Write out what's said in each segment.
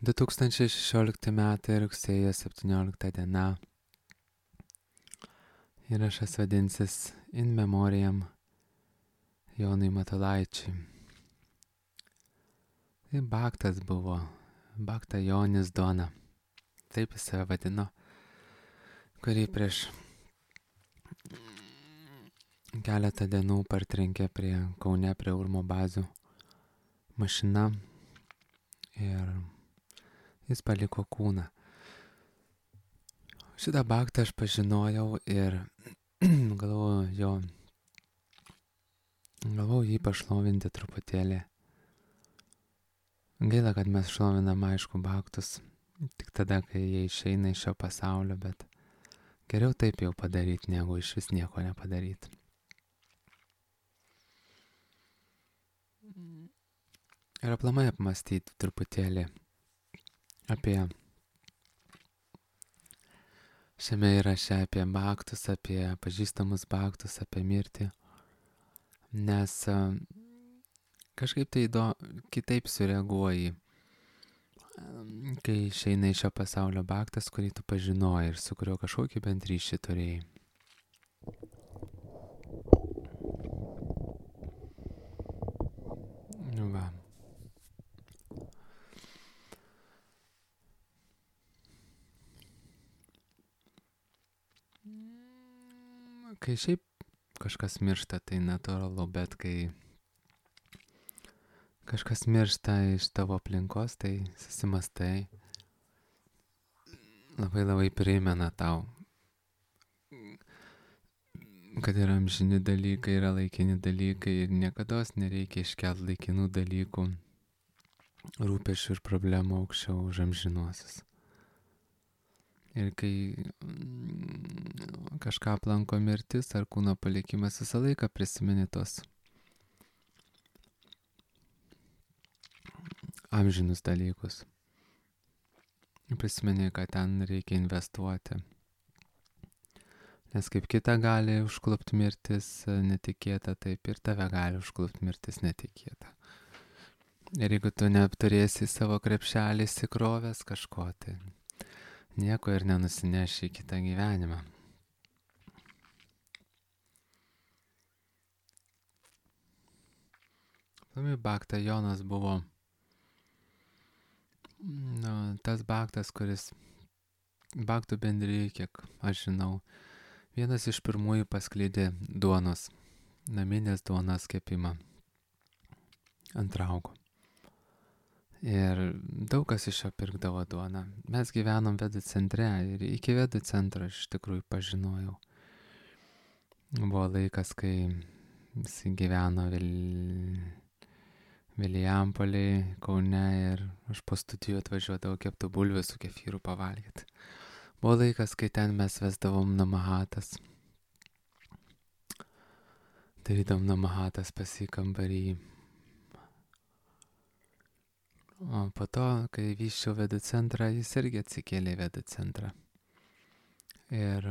2016 metai rugsėjo 17 diena. Įrašas vadinsis In Memoriam Jonui Matulaičiui. Tai Baktas buvo, Bakta Jonis Duona. Taip jis save vadino, kurį prieš keletą dienų partrenkė Kaune prie Urmo bazių mašina ir jis paliko kūną. Šitą Baktą aš pažinojau ir galvojau jį pašlovinti truputėlį. Gaila, kad mes šlovinam aišku Baktus tik tada, kai jie išeina iš šio pasaulio, bet geriau taip jau padaryti, negu iš vis nieko nepadaryti. Ir aplamai apmastyti truputėlį apie šiame įraše apie Baktus, apie pažįstamus Baktus, apie mirtį, nes kažkaip tai kitaip sureaguoji, kai išeina iš šio pasaulio Baktas, kurį tu pažinojai ir su kuriuo kažkokį bent ryšį turėjai. Va. Kai šiaip kažkas miršta, tai natūralu, bet kai kažkas miršta iš tavo aplinkos, tai susimastai, labai primena tau, kad yra amžini dalykai, yra laikini dalykai ir niekados nereikia iškelti laikinų dalykų, rūpesčių ir problemų aukščiau už amžinuosius. Ir kai kažką aplanko mirtis ar kūno palikimas, visą laiką prisimeni tos amžinus dalykus. Prisimeni, kad ten reikia investuoti. Nes kaip kita gali užklupti mirtis netikėta, taip ir tave gali užklupti mirtis netikėta. Ir jeigu tu neapturėsi savo krepšelį įsikrovęs kažko, tai nieko ir nenusineši į kitą gyvenimą. Bakta Jonas buvo tas Baktas, kuris Baktų bendrijai, kiek aš žinau, vienas iš pirmųjų paskleidė duonos, naminės duonos kepimą ant raugo. Ir daug kas iš jo pirkdavo duoną. Mes gyvenom Vedų centre ir iki Vedų centro aš iš tikrųjų pažinojau. Buvo laikas, kai jis gyveno Vilijampolėj, Kaune ir aš po studijų atvažiuodavau keptų bulvių su kefyru pavalgyti. Buvo laikas, kai ten mes vesdavom namahatas. Darydavom namahatas pas jį kambarį. O po to, kai vyščiau Vedų centrą, jis irgi atsikėlė į Vedų centrą. Ir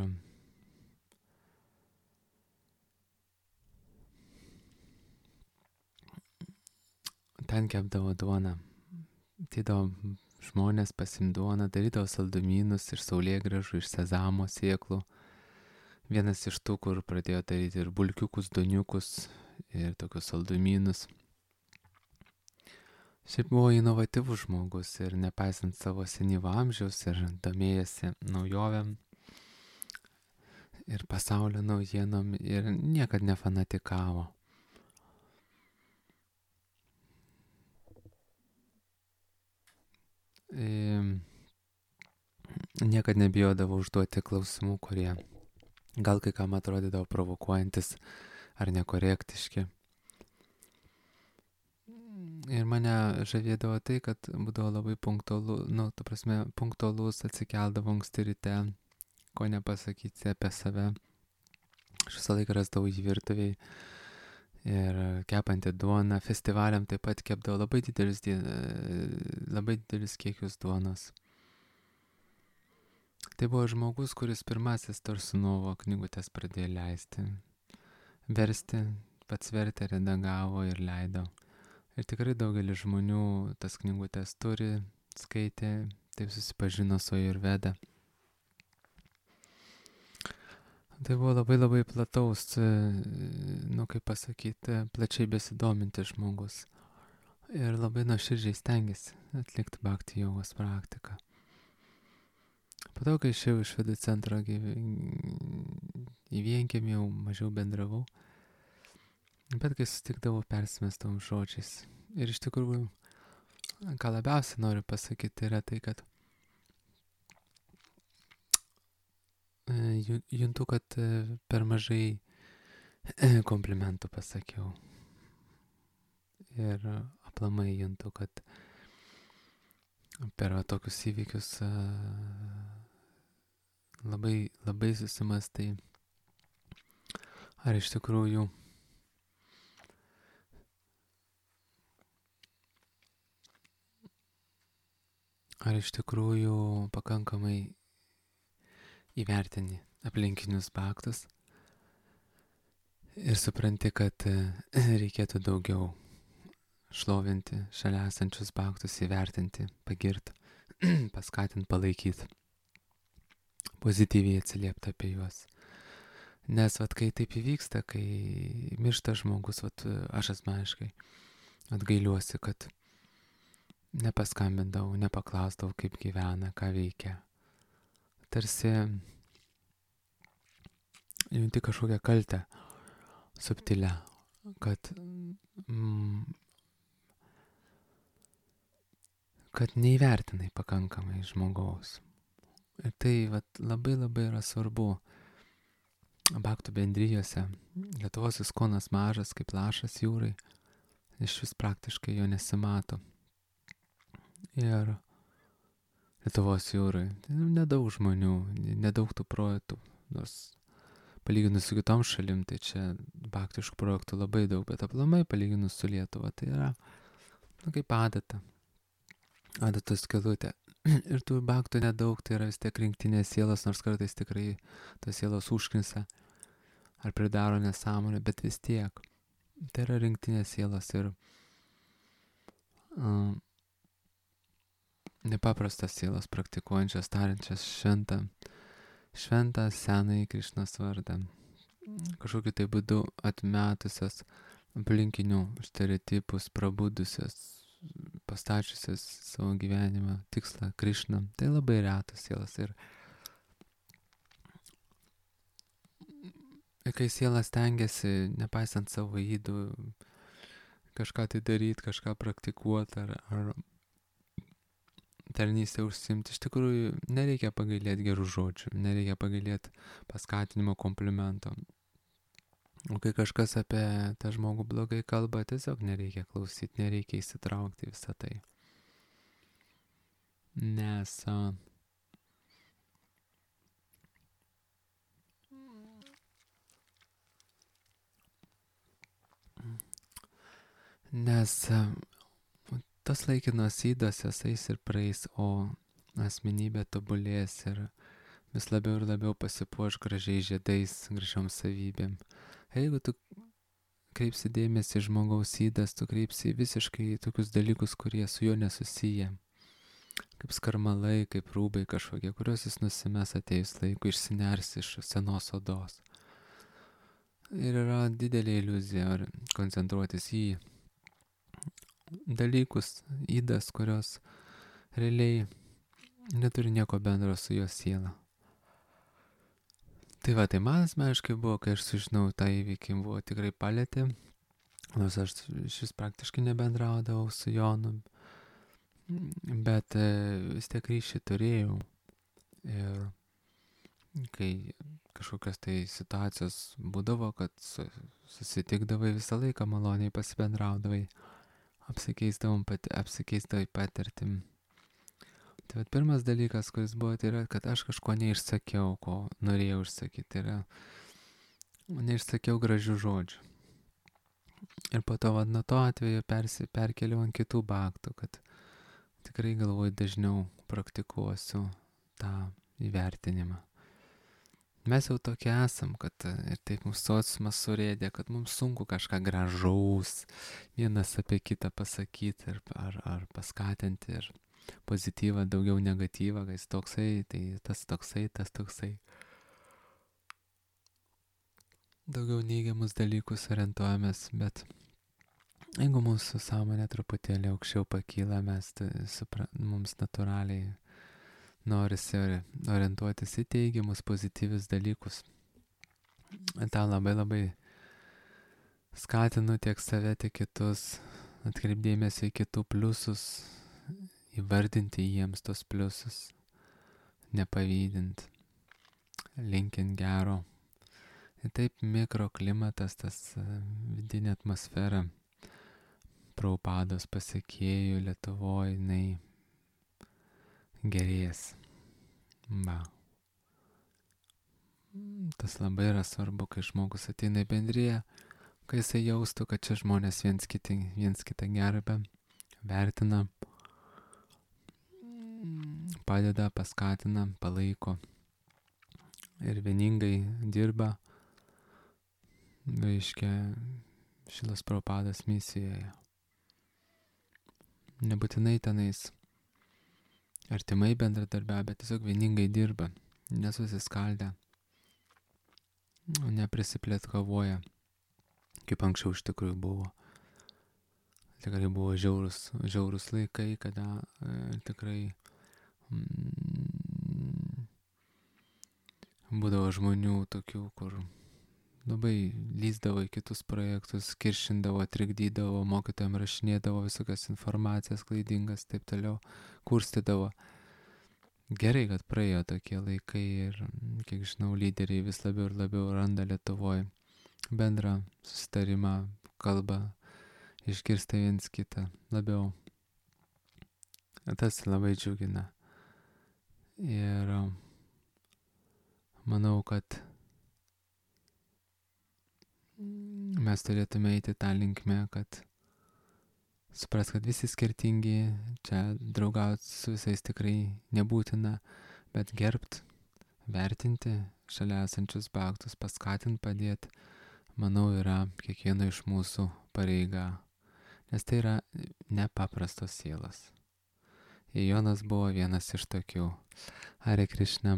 ten kepdavo duoną. Ateidavo žmonės pasiimt duoną, darydavo saldumynus iš saulėgrąžų, iš sezamo sėklų. Vienas iš tų, kur pradėjo daryti ir bulkiukus, doniukus ir tokius saldumynus. Šiaip buvo inovatyvus žmogus ir nepaisant savo senyvo amžiaus ir domėjasi naujovėm ir pasaulio naujienom ir niekad nefanatikavo. Niekad nebijodavo užduoti klausimų, kurie gal kai kam atrodydavo provokuojantis ar nekorektiški. Ir mane žavėdavo tai, kad būdavo labai punktualus, atsikeldavo anksti ryte, ko nepasakyti apie save. Aš visą laiką rasdavau jį virtuvėj ir kepantį duoną. Festivaliam taip pat kepdavo labai didelis kiekius duonos. Tai buvo žmogus, kuris pirmasis Torsunovo knygutes pradėjo leisti, versti, pats vertė, redagavo ir leido. Ir tikrai daugelis žmonių tas knygutes turi, skaitė, taip susipažino su Ajurveda. Tai buvo labai plataus, kaip pasakyti, plačiai besidomintis žmogus. Ir labai nuoširdžiai stengiasi atlikti bhakti jogos praktiką. Po to, kai išėjau iš Vedų centro į vienkiemį, jau mažiau bendravau. Bet kai susitikdavau, persimesdavom žodžiais. Ir iš tikrųjų, ką labiausiai noriu pasakyti, yra tai, kad juntu, kad per mažai komplimentų pasakiau. Ir aplamai juntu, kad per tokius įvykius labai susimastai, ar iš tikrųjų pakankamai įvertini aplinkinius bhaktus ir supranti, kad reikėtų daugiau šlovinti šalia esančius bhaktus, įvertinti, pagirti, paskatinti, palaikyti, pozityviai atsiliepti apie juos. Nes kai taip įvyksta, kai miršta žmogus, aš asmeniškai gailiuosi, kad nepaskambindavau, nepaklausdavau, kaip gyvena, ką veikia. Tarsi junti kažkokią kaltę subtilę, kad neįvertinai pakankamai žmogaus. Ir tai labai yra svarbu bhaktų bendrijose. Lietuvos ISKCONas mažas kaip lašas jūrai, iš vis praktiškai jo nesimato. Ir Lietuvos jūrai nedaug žmonių, nedaug tų projektų, nors palyginus su kitom šalim, tai čia bhaktiškų projektų labai daug, bet aplamai palyginus su Lietuva, tai yra kaip adatos skylutė. Ir tų bhaktų nedaug, tai yra vis tiek rinktinės sielos, nors kartais tikrai tos sielos užknisa ar pridaro nesąmonę, bet vis tiek. Tai yra rinktinės sielos ir nepaprastas sielos praktikuojančias, tariančias šventą senąjį Krišnos vardą. Kažkokiu tai būdu atmetusias aplinkinių stereotipus, prabudusias, pastačiusias savo gyvenimą tikslą Krišną. Tai labai retas sielas. Ir kai sielas stengiasi, nepaisant savo ydų, kažką tai daryti, kažką praktikuoti ar tarnystę užsiimti, iš tikrųjų nereikia pagailėti gerų žodžių, nereikia pagailėti paskatinimo, komplimento. O kai kažkas apie tą žmogų blogai kalba, tiesiog nereikia klausyti, nereikia įsitraukti visą tai. Nes tas laikinos ydos jos eis ir praeis, o asmenybė tobulės ir vis labiau ir labiau pasipuoš gražiais žiedais, gražiom savybėm. Jeigu tu kreipsi dėmesį žmogaus ydas, tu kreipsi visiškai tokius dalykus, kurie su juo nesusiję. Kaip skarmalai, kaip rūbai kažkokie, kuriuos jis nusimes atėjus laiku, išsiners iš senos odos. Ir yra didelė iliuzija koncentruotis į dalykus, ydas, kurios realiai neturi nieko bendro su jo siela. Tai man asmeniškai buvo, kai aš sužinau tą įvykį, buvo tikrai palietė, nors aš šis praktiškai nebendraudavau su Jonu, bet vis tiek ryšį turėjau. Ir kai kažkokios tai situacijos būdavo, kad susitikdavai visą laiką maloniai pasibendraudavai, apsikeisdavai patirtim. Tai pirmas dalykas, kuris buvo, tai yra, kad aš kažko neišsakiau, ko norėjau išsakyti. Tai yra, neišsakiau gražių žodžių. Ir po to, nuo to atveju perkeliau ant kitų bhaktų, kad tikrai galvoju dažniau praktikuosiu tą įvertinimą. Mes jau tokie esam, kad ir taip mūsų sociumas surėdė, kad mums sunku kažką gražaus vienas apie kitą pasakyti ar paskatinti. Ir pozityvą, daugiau negatyvą, kai jis toksai, tai tas toksai. Daugiau neigiamus dalykus orientuojamės, bet jeigu mūsų sąmonė truputėlį aukščiau pakyla, mums natūraliai norisi orientuotis į teigiamus, pozityvius dalykus. tą labai labai skatinu tiek save, tiek kitus, atkreipdėmėsi į kitų pliusus, įvardinti jiems tos pliusus, nepavydint, linkint gero. Ir taip mikroklimatas, tas vidinė atmosfera Prabhupados pasekėjų Lietuvoje, jinai gerės. Tas labai yra svarbu, kai žmogus ateina į bendriją, kai jisai jaustų, kad čia žmonės viens kitą gerbia, vertina, padeda, paskatina, palaiko ir vieningai dirba, reiškia, Šilos Prabhupados misijoje. Nebūtinai tenais artimai bendradarbiauja, bet tiesiog vieningai dirba, nesusiskaldę, neprisiplėtkavoja, kaip anksčiau iš tikrųjų buvo. Tikrai buvo žiaurus laikai, kada tikrai būdavo žmonių tokių, kur labai lįsdavo į kitus projektus, kiršindavo, trikdydavo, mokytojams rašinėdavo visokias informacijas klaidingas, taip toliau, kurstydavo. Gerai, kad praėjo tokie laikai ir, kiek žinau, lyderiai vis labiau ir labiau randa Lietuvoje bendrą susitarimą, kalbą, išgirsta viens kitą labiau. Tas labai džiugina. Ir manau, kad mes turėtume eiti tą linkmę, kad supras, kad visi skirtingi, čia draugauti su visais tikrai nebūtina, bet gerbt, vertinti šalia esančius bhaktus, paskatinti, padėti, manau, yra kiekvieno iš mūsų pareiga, nes tai yra nepaprastos sielos. Ir Jonas buvo vienas iš tokių. Hare Krishna.